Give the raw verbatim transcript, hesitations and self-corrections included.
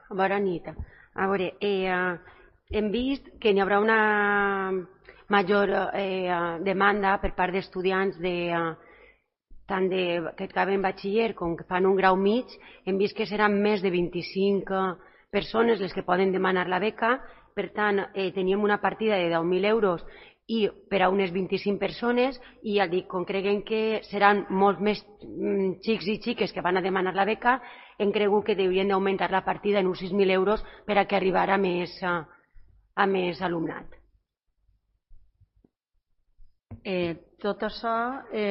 Bona nit. A veure, eh, hem vist que n'hi haurà una major eh, demanda per part d'estudiants de, tant de, que acaben batxiller com que fan un grau mig. Hem vist que seran més de vint-i-cinc persones les que poden demanar la beca. Per tant, eh, teníem una partida de deu mil euros i per a unes vint-i-cinc persones, i ja dic, com creguem que seran molts més xics i xiques que van a demanar la beca, hem cregut que haurien d'augmentar la partida en uns sis mil euros per a que arribara a més, a més alumnat. Eh, tot això eh,